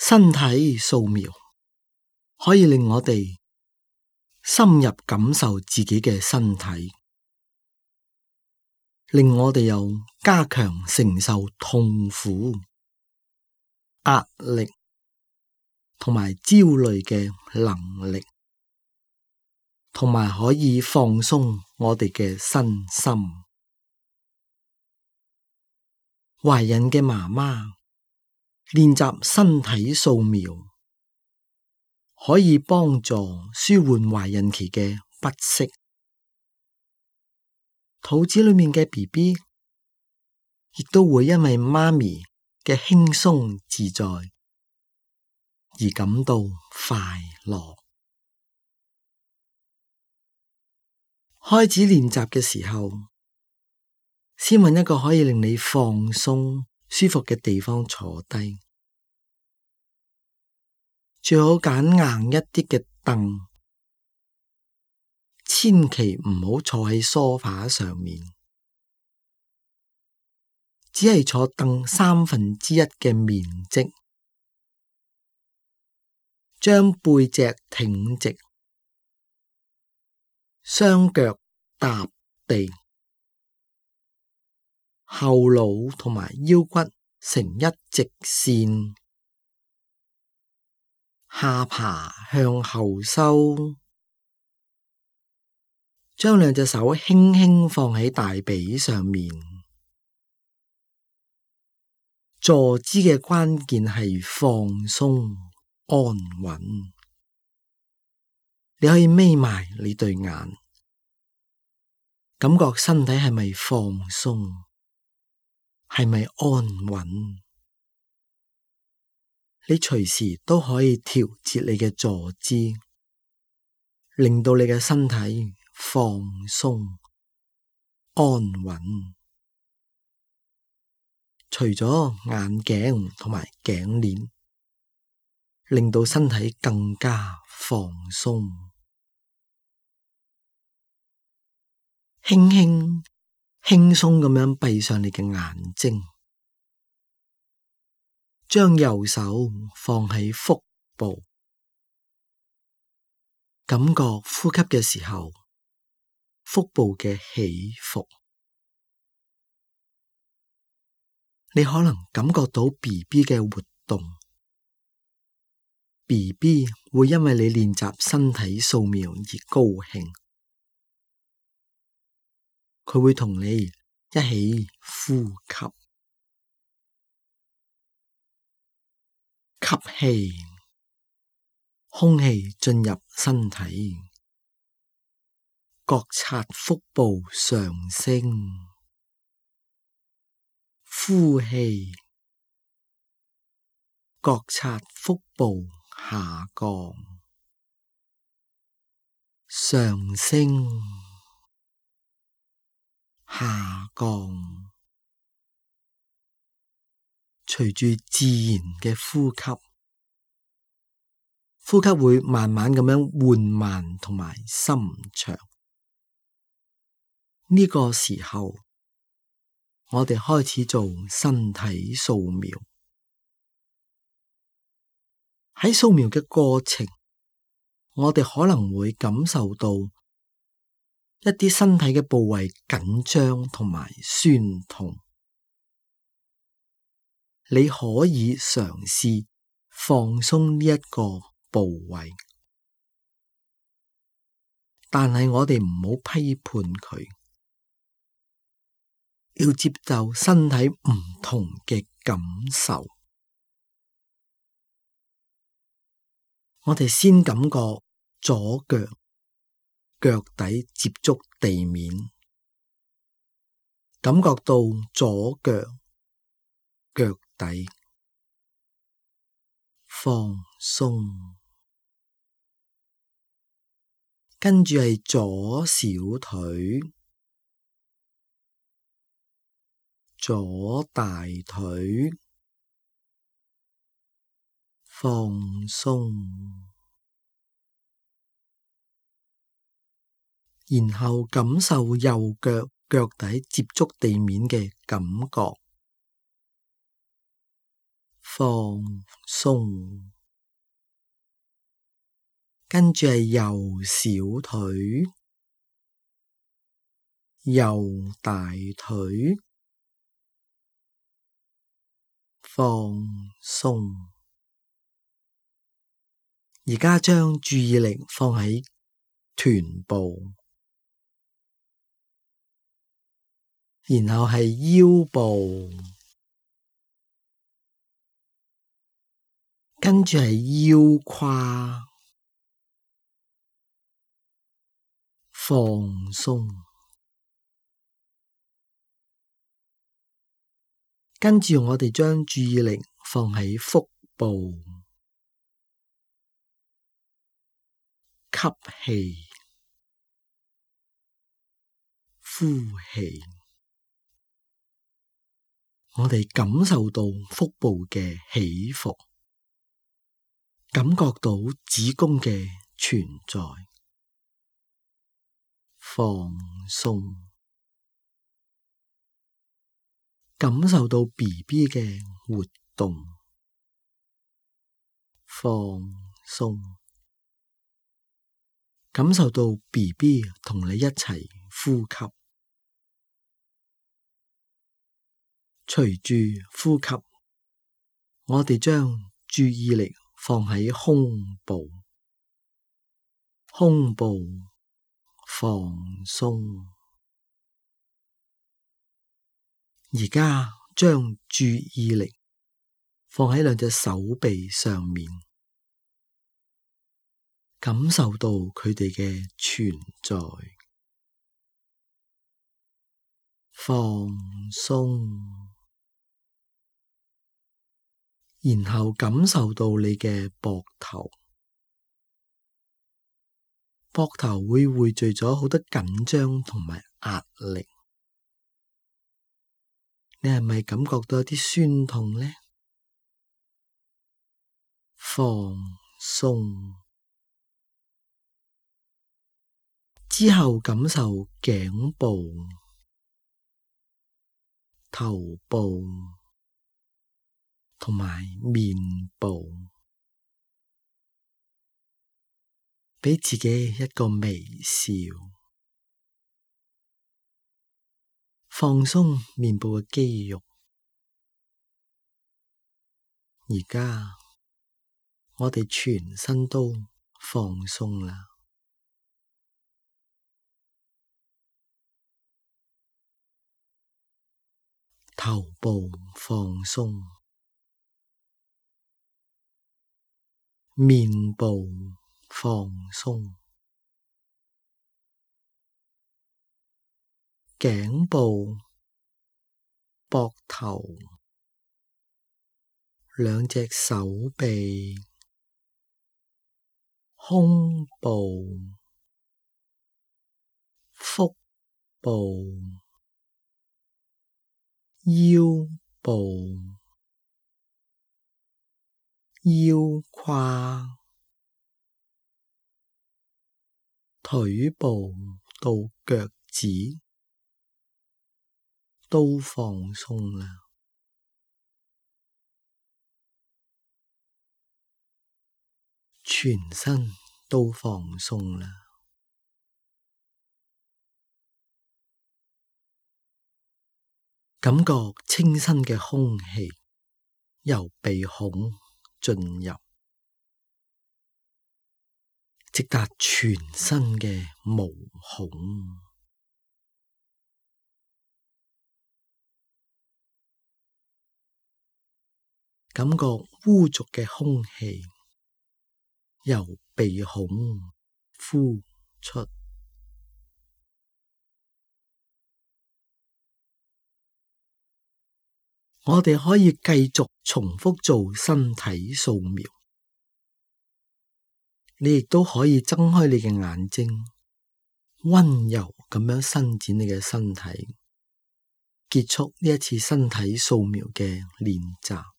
身體掃描可以令我哋深入感受自己嘅身體，令我哋有加強承受痛苦、壓力同埋焦慮嘅能力，同埋可以放鬆我哋嘅身心。懷孕嘅媽媽練習身體掃描，可以幫助舒緩懷孕期嘅不適。肚子裏面嘅 BB 亦都會因為媽咪嘅輕鬆自在而感到快樂。開始練習嘅時候，先揾一個可以令你放鬆、舒服嘅地方坐低，最好揀硬一啲嘅凳，千祈唔好坐喺梳化上面，只係坐凳1/3嘅面積，將背脊挺直，雙腳踏地，後腦同埋腰骨成一直線，下巴向後收，將兩隻手輕輕放喺大髀上面。坐姿嘅關鍵係放鬆、安穩。你可以眯埋你對眼，感覺身體係咪放鬆，係咪安穩？你隨時都可以調節你嘅坐姿，令到你嘅身體放鬆、安穩。除咗眼鏡同埋頸鏈，令到身體更加放鬆。輕輕輕鬆咁樣閉上你嘅眼睛，將右手放喺腹部，感覺呼吸嘅時候，腹部嘅起伏。你可能感覺到 BB 嘅活動， BB 會因為你練習身體掃描而高興，佢會同你一起呼吸，吸氣，空氣進入身體，覺察腹部上升，呼氣，覺察腹部下降，上升，下降，隨住自然嘅呼吸，呼吸會慢慢咁樣緩慢同埋深長。呢個時候，我哋開始做身體掃描。喺掃描嘅過程，我哋可能會感受到一啲身體嘅部位緊張同埋酸痛。你可以嘗試放鬆呢一個部位，但係我哋唔好批判佢，要接受身體唔同嘅感受。我哋先感覺左腳腳底接觸地面，感覺到左腳腳底放鬆，跟住係左小腿、左大腿放鬆，然後感受右腳腳底接觸地面嘅感覺，放鬆，跟住係右小腿、右大腿，放鬆。而家將注意力放喺臀部，然後係腰部，跟住係腰胯，放鬆。跟住我哋將注意力放喺腹部，吸氣，呼氣。我哋感受到腹部嘅起伏，感覺到子宮嘅存在，放鬆，感受到 BB 嘅活動，放鬆，感受到 BB 同你一齊呼吸。隨住呼吸，我哋將注意力放喺胸部，胸部放鬆。而家將注意力放喺兩隻手臂上面，感受到佢哋嘅存在，放鬆。然後感受到你嘅膊頭，膊頭會匯聚咗好多緊張同埋壓力，你係咪感覺到一啲酸痛呢？放鬆。之後感受頸部、頭部同埋面部，畀自己一個微笑，放鬆面部嘅肌肉。而家我哋全身都放鬆啦，頭部放鬆，面部放鬆，頸部、膊頭、兩隻手臂、胸部、腹部、腰部、腰胯、腿部到腳趾都放鬆啦，全身都放鬆啦。感覺清新嘅空氣由鼻孔進入，直達全身嘅毛孔。感覺污濁嘅空氣由鼻孔呼出。我哋可以繼續重複做身體掃描，你亦都可以睜開你嘅眼睛，溫柔咁樣伸展你嘅身體，結束呢一次身體掃描嘅練習。